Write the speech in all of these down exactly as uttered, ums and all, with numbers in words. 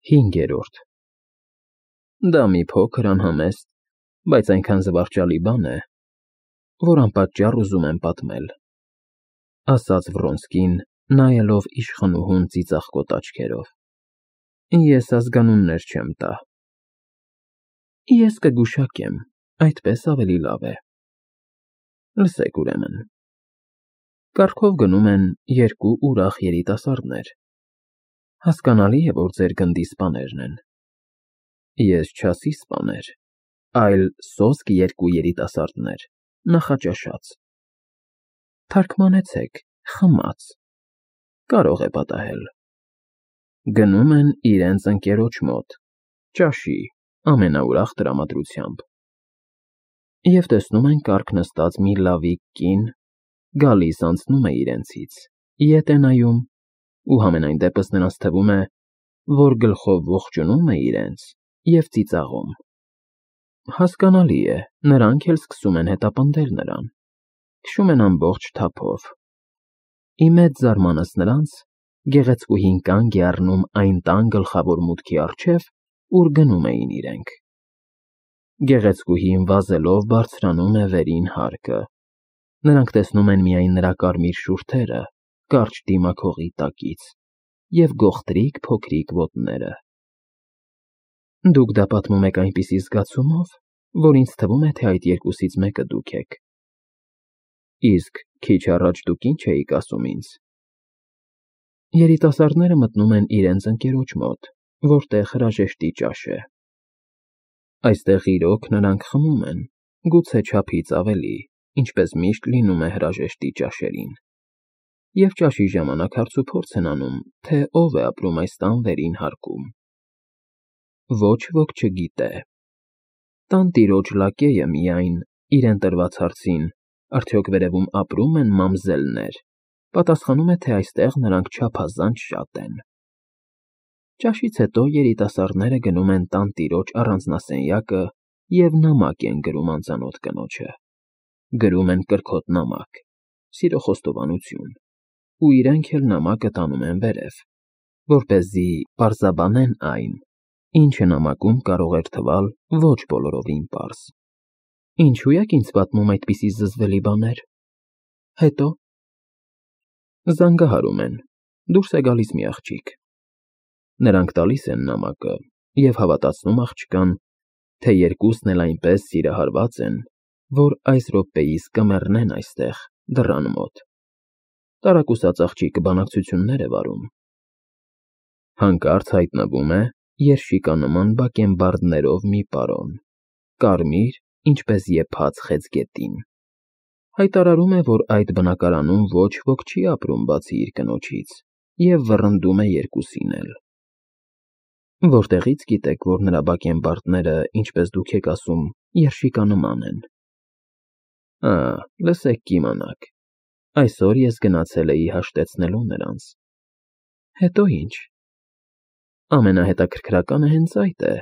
Հինգերորդ Դա մի փոքր անհամեստ, բայց այնքան զվարճալի բան է, որ անպատճառ ուզում եմ պատմել,֊ ասաց Վռոնսկին, նայելով իշխանուհուն ծիծաղկոտ աչքերով։֊ Ես ազգանուններ չեմ տա։ Ես կգուշակեմ, այդպես ավելի լավ է։ Լսեք ուրեմն. կառքով գնում են երկու ուրախ երիտասարդներ. հասկանալի է, որ ձեր գնդի սպաներն են։ Ես չասի սպաներ, այլ սոսկ երկու երիտասարդներ, նախաճաշած։ Թարգմանեցեք՝ խմած, կարող է պատահել։ Գնում են իրենց ընկերոջ մոտ, ճաշի, ամենաուրախ տրամադրությամբ։ Եվ տեսնում են կառք նստած մի լավիկ կին, գալիս անցնում է իրենցից, ետ է նայում, ու համենայն դեպս նրանց թվում է, որ գլխով ողջունում է իրենց և ծիծաղում։ Հասկանալի է, նրանք էլ սկսում են հետապնդել նրան, քշում են ամբողջ թափով։ Ի մեծ զարմանս նրանց, գեղեցկուհին կանգ է առնում այն տան գլխավոր մուտքի առջև, ուր գնում էին իրենք։ Գեղեցկուհին վազելով բարձրանում է վերին հարկը, նրանք տեսնում են միայն նրա կարմիր շուրթերը կարճ դիմաքողի տակից և գողտրիկ փոքրիկ ոտները։ Դուք դա պատմում եք այնպիսի զգացումով, որ ինձ թվում է, թե այդ երկուսից մեկը դուք եք։ Իսկ քիչ առաջ դուք ինչ էիք ասում ինձ։ Երիտասարդները մտնում են իրենց ընկերոջ մոտ, որտեղ հրաժեշտի ճաշ է։ Այստեղ իրոք նրանք խմում են, գուցե չափից ավելի, ինչպես միշտ լինում է հրաժեշտի ճաշերին, և ճաշի ժամանակ հարցուփորձ են անում, թե ով է ապրում այս տան վերին հարկում։ Ոչ ոք չգիտե։ Տանտիրոջ լակեյը միայն, իրեն տրված հարցին, արդյոք վերևում ապրում են մամզելներ, պատասխանում է, թե այստեղ նրանք չափազանց շատ են։ Ճաշից հետո երիտասարդները գնում են տանտիրոջ առանձնասենյակը և նամակ են գրում անծանոթ կնոջը։ Գրում են կրքոտ նամակ, սիրո խոստովանություն, ու իրենք էլ նամակը տանում են վերև, որպեսզի պարզաբանեն այն, ինչը նամակում կարող էր թվալ ոչ բոլորովին պարզ։ Ինչու եք ինձ պատմում այդպիսի զզվելի բաներ։ Հետո զանգահարում են, դուրս է գալիս մի աղջիկ։ Նրանք տալիս են նամակը և հավատացնում աղջկան, թե երկուսն էլ այնպես սիրահարված են, որ այս րոպեիս կմեռնեն այստեղ, դռան մոտ։ Տարակուսած աղջիկը բանակցություններ է վարում։ Հանկարծ հայտնվում է երշիկանման բակենբարդներով մի պարոն, կարմիր, ինչպես եփած խեցգետին։ Հայտարարում է, որ այդ բնակարանում ոչ ոք չի ապրում բացի իր կնոջից, և վռնդում է երկուսին էլ։ Որտեղի՞ց գիտեք, որ նրա բակենբարդները, ինչպես դուք եք ասում, երշիկանման են։ Ա, լսեք կիմանաք, այսօր ես գնացել էի հաշտեցնելու նրանց։ Հետո ինչ։ Ամենահետաքրքրականը հենց այդ է։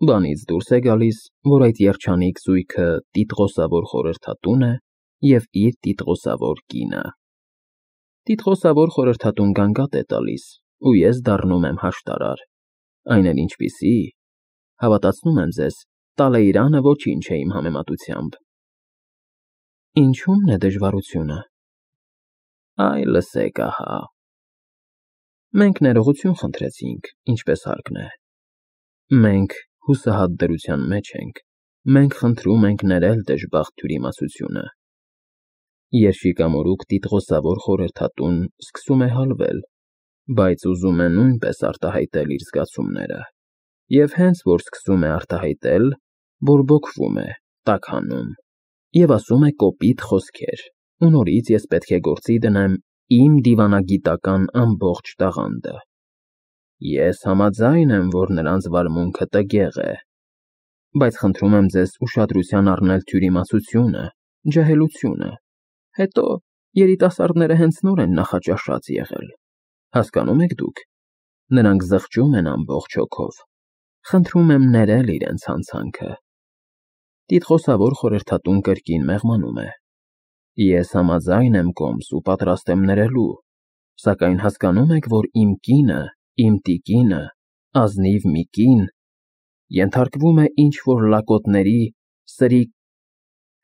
Բանից դուրս է գալիս, որ այդ երջանիկ զույգը տիտղոսավոր խորհրդատուն է և իր տիտղոսավոր կինը։ Տիտղոսավոր խորհրդատուն գանգատ է տալիս, ու ես դառնում եմ հաշտարար, այն էլ ինչպիսի, հավատացնում եմ ձեզ, Տալեյրանը ոչինչ է իմ համեմատությամբ։ Ինչու՞մն է դժվարությունը։ Այ լսեք ահա։ Մենք ներողություն խնդրեցինք, ինչպես հարկն է։ Մենք հուսահատ դրության մեջ ենք, մենք խնդրում ենք ներել դժբախտ թյուրիմացությունը։ Երշիկամորուք տիտղոսավոր խորհրդատուն սկսում է հալվել, բայց ուզում է նույնպես արտահայտել իր զգացումները, և հենց որ սկսում է արտահայտել, բորբոքվում է, տաքանում և ասում է կոպիտ խոսքեր, ու նորից ես պետք է գործի դնեմ իմ դիվանագիտական ամբողջ տաղանդը։ Ես համաձայն եմ, որ նրանց վարմունքը տգեղ է, բայց խնդրում եմ ձեզ ուշադրության առնել թյուրիմացությունը, ջահելությունը։ Հետո երիտասարդները հենց նոր են նախաճաշած եղել։ Հասկանում եք դուք, նրանք զղջում են ամբողջ հոգով։ Խնդրում եմ ներել իրենց հանցանքը։ Տիտղոսավոր խորհրդատուն կրկին մեղմանում է։ Ես համաձայն եմ կոմս ու պատրաստ եմ ներելու, սակայն հասկանո՞ւմ եք, որ իմ կինը, իմ տիկինը ազնիվ մի կին, ենթարկվում է ինչ-որ լակոտների, սրի,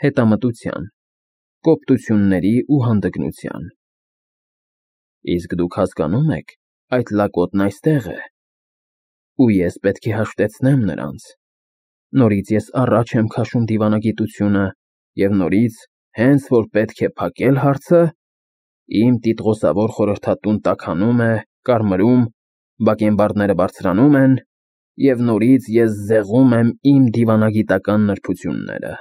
հետամտության, կոպտությունների ու հանդգնության։ Իսկ դուք հասկանում եք, այդ լակոտն այստեղ է, ու ես պետք է հաշտեցնեմ նրանց։ Նորից ես առաջ եմ քաշում դիվանագիտությունը և նորից, հենց որ պետք է փակել հարցը, իմ տիտղոսավոր խորհրդատուն տաքանում է, կարմրում, բակենբարդները բարձրանում են, և նորից ես զեղում եմ իմ դիվանագիտական նրբությունները։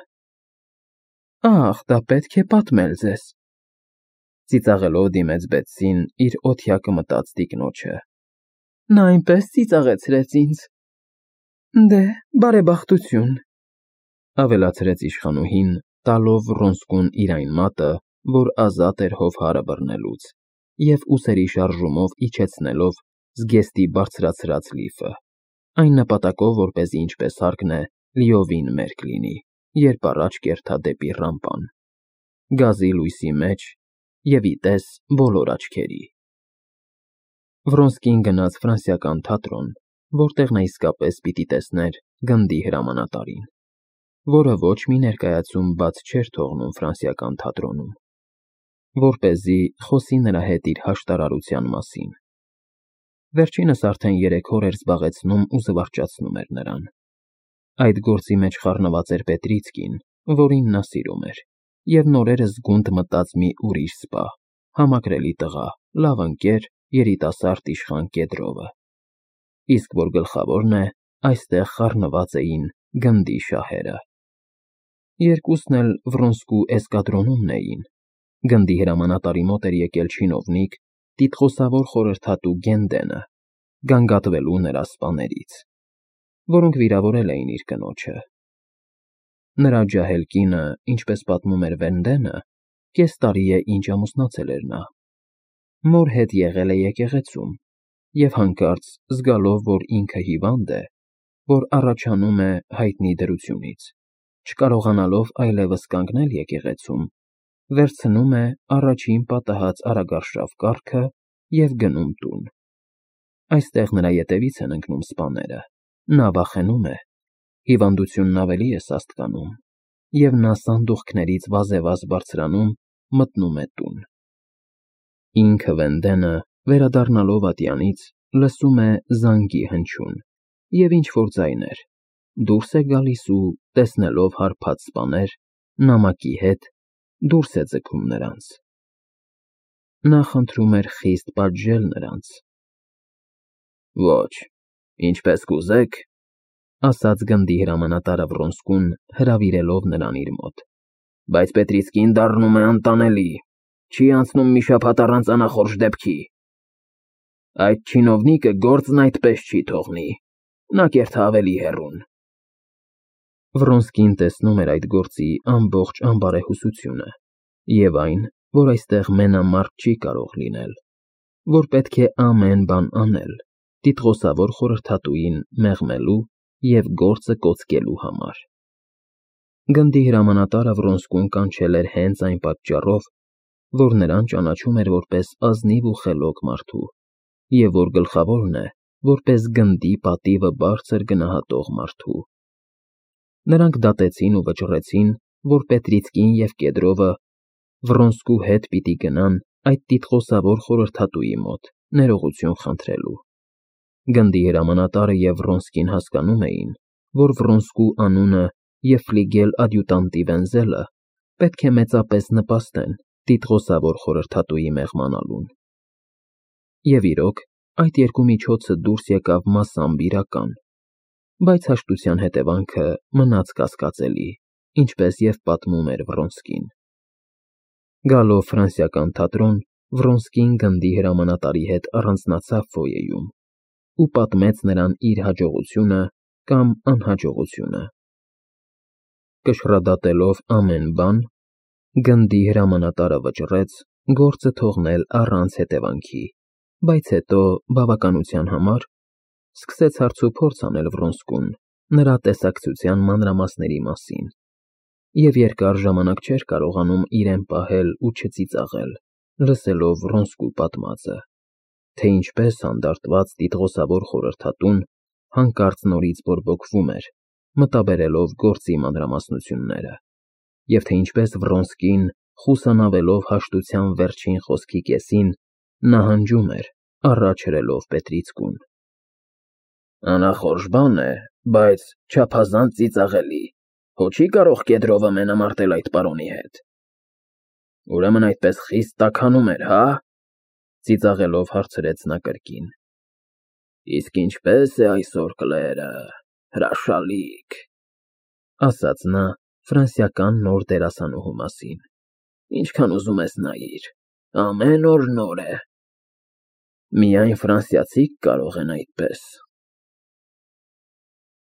Ախ, դա պետք է պատմել ձեզ, ծիծաղելով դիմեց Բեթսին իր օթյակը մտած տիկնոջը։ Նա այնպես ծիծաղեցրեց ինձ։ Դե, բարեբախտություն, ավելացրեց իշխանուհին, տալով Վրոնսկուն իր այն մատը, որ ազատ էր հովհարը բռնելուց, և ուսերի շարժումով իջեցնելով զգեստի բարձրացրած լիֆը, այն նպատակով, որպեսզի ինչպես հարկն է, լիովին մերկ լինի, երբ առաջ կերթա դեպի ռամպան, գազի լույսի մեջ և ի տես բոլոր աչքերի։ Վրոնսկին գնաց ֆրանսիական թատրոն, որտեղ նա իսկապես պիտի տեսներ գնդի հրամանատարին, որը ոչ մի ներկայացում բաց չէր թողնում ֆրանսիական թատրոնում, որպեսզի խոսի նրա հետ իր հաշտարարության մասին։ Վերջինս արդեն երեք օր էր զբաղեցնում ու զվարճացնում էր նրան։ Այդ գործի մեջ խառնված էր Պետրիցկին, որին նա սիրում էր, և նորերս գունդ մտած մի ուրիշ սպա, համակրելի տղա, լավ ընկեր, երիտասարդ իշխան Կեդրովը։ Իսկ որ գլխավորն է, այստեղ խառնված էին գնդի շահերը։ Երկուսն էլ Վրոնսկու էսկադրոնումն էին։ Գնդի հրամանատարի մոտ էր եկել չինովնիկ, տիտղոսավոր խորհրդատու Գենդենը, գանգատվելու նրա սպաներից, որոնք վիրավորել էին իր կնոջը։ Նրա ջահել կինը, ինչպես պատմում էր Վենդենը, կես տարի է ինչ ամուսնացել էր նա։ Մոր հետ եղել է եկեղեցում, և հանկարծ, զգալով, որ ինքը հիվանդ է, որ առաջանում է հայտնի դրությունից, չկարողանալով այլևս կանգնել եկեղեցում, վերցնում է առաջին պատահած արագարշավ կառքը և գնում տուն։ Այստեղ նրա ետևից են ընկնում սպաները, նա վախենում է, հիվանդությունն ավելի է սաստկանում, և նա սանդուղքներից վազևազ բարձրանում, մտնում է տուն։ Ինքը Վենդենը, վերադառնալով ատյանից, լսում է զանգի հնչյուն և ինչ-որ ձայներ, դուրս է գալիս ու, տեսնելով հարբած սպաներ, նամակի հետ, դուրս է ձգում նրանց։ Նա խնդրում էր խիստ պատժել նրանց։ Ոչ, ինչպես կուզեք, ասաց գնդի հրամանատարը Վրոնսկուն, հրավիրելով նրան իր մոտ, բայց Պետրիցկին դառնում է անտանելի, չի անցնում մի շաբաթ առանց անախորժ դեպքի։ Այդ չինովնիկը գործն այդպես չի թողնի, նա կերթա ավելի հեռուն։ Վրոնսկին տեսնում էր այդ գործի ամբողջ անբարեհուսությունը և այն, որ այստեղ մենամարտ չի կարող լինել, որ պետք է ամեն բան անել տիտղոսավոր խորհրդատուին մեղմելու և գործը կոծկելու համար։ Գնդի հրամանատարը Վրոնսկուն կանչել էր հենց այն պատճառով, որ նրան ճանաչում էր որպես ազնիվ ու խելոք մարդու, և որ գլխավորն է, որպես գնդի պատիվը բարձր գնահատող մարդու։ Նրանք դատեցին ու վճռեցին, որ Պետրիցկին և Կեդրովը Վրոնսկու հետ պիտի գնան այդ տիտղոսավոր խորհրդատուի մոտ ներողություն խնդրելու։ Գնդի հրամանատարը և Վրոնսկին հասկանում էին, որ Վրոնսկու անունը և ֆլիգել ադյուտանտի Վենզելը պետք է մեծապես նպաստեն տիտղոսավոր խորհրդատուի մեղմանալուն։ Եվ իրոք, այդ երկու միջոցը դուրս եկավ մասամբ իրական, բայց հաշտության հետևանքը մնաց կասկածելի, ինչպես և պատմում էր Վրոնսկին։ Գալով ֆրանսիական թատրոն, Վրոնսկին գնդի հրամանատարի հետ առանձնացավ ֆոյեում ու պատմեց նրան իր հաջողությունը կամ անհաջողությունը։ Կշռադատելով ամեն բան, գնդի հրամանատարը վճռեց գործը թողնել առանց հետևանքի, բայց հետո, բավականության համար, սկսեց հարցուփորձ անել Վրոնսկուն նրա տեսակցության մանրամասների մասին, և երկար ժամանակ չէր կարողանում իրեն պահել ու չծիծաղել, լսելով Վրոնսկու պատմածը, թե ինչպես հանդարտված տիտղոսավոր խորհրդատուն հանկարծ նորից բորբոքվում էր, մտաբերելով գործի մանրամասնությունները, և թե ինչպես Վռոնսկին, խուսանավելով հաշտության վերջին խոսքի կեսին, նահանջում էր, առաջ հրելով Պետրիցկուն։ Անախորժ բան է, բայց չափազանց ծիծաղելի, հո չի՞ կարող Կեդրովը մենամարտել այդ պարոնի հետ։ Ուրեմն այդպես խիստ տաքանում էր, հա՞, ծիծաղելով հարցրեց նա կրկին։ Իսկ ինչպե՞ս է այսօր կլերը, հրաշալիք, ասաց նա ֆրանսիական նոր դերասանուհու մասին, ինչքան ուզում ես նայիր, ամեն օր նոր է։ Միայն ֆրանսիացիք կարող են այդպես։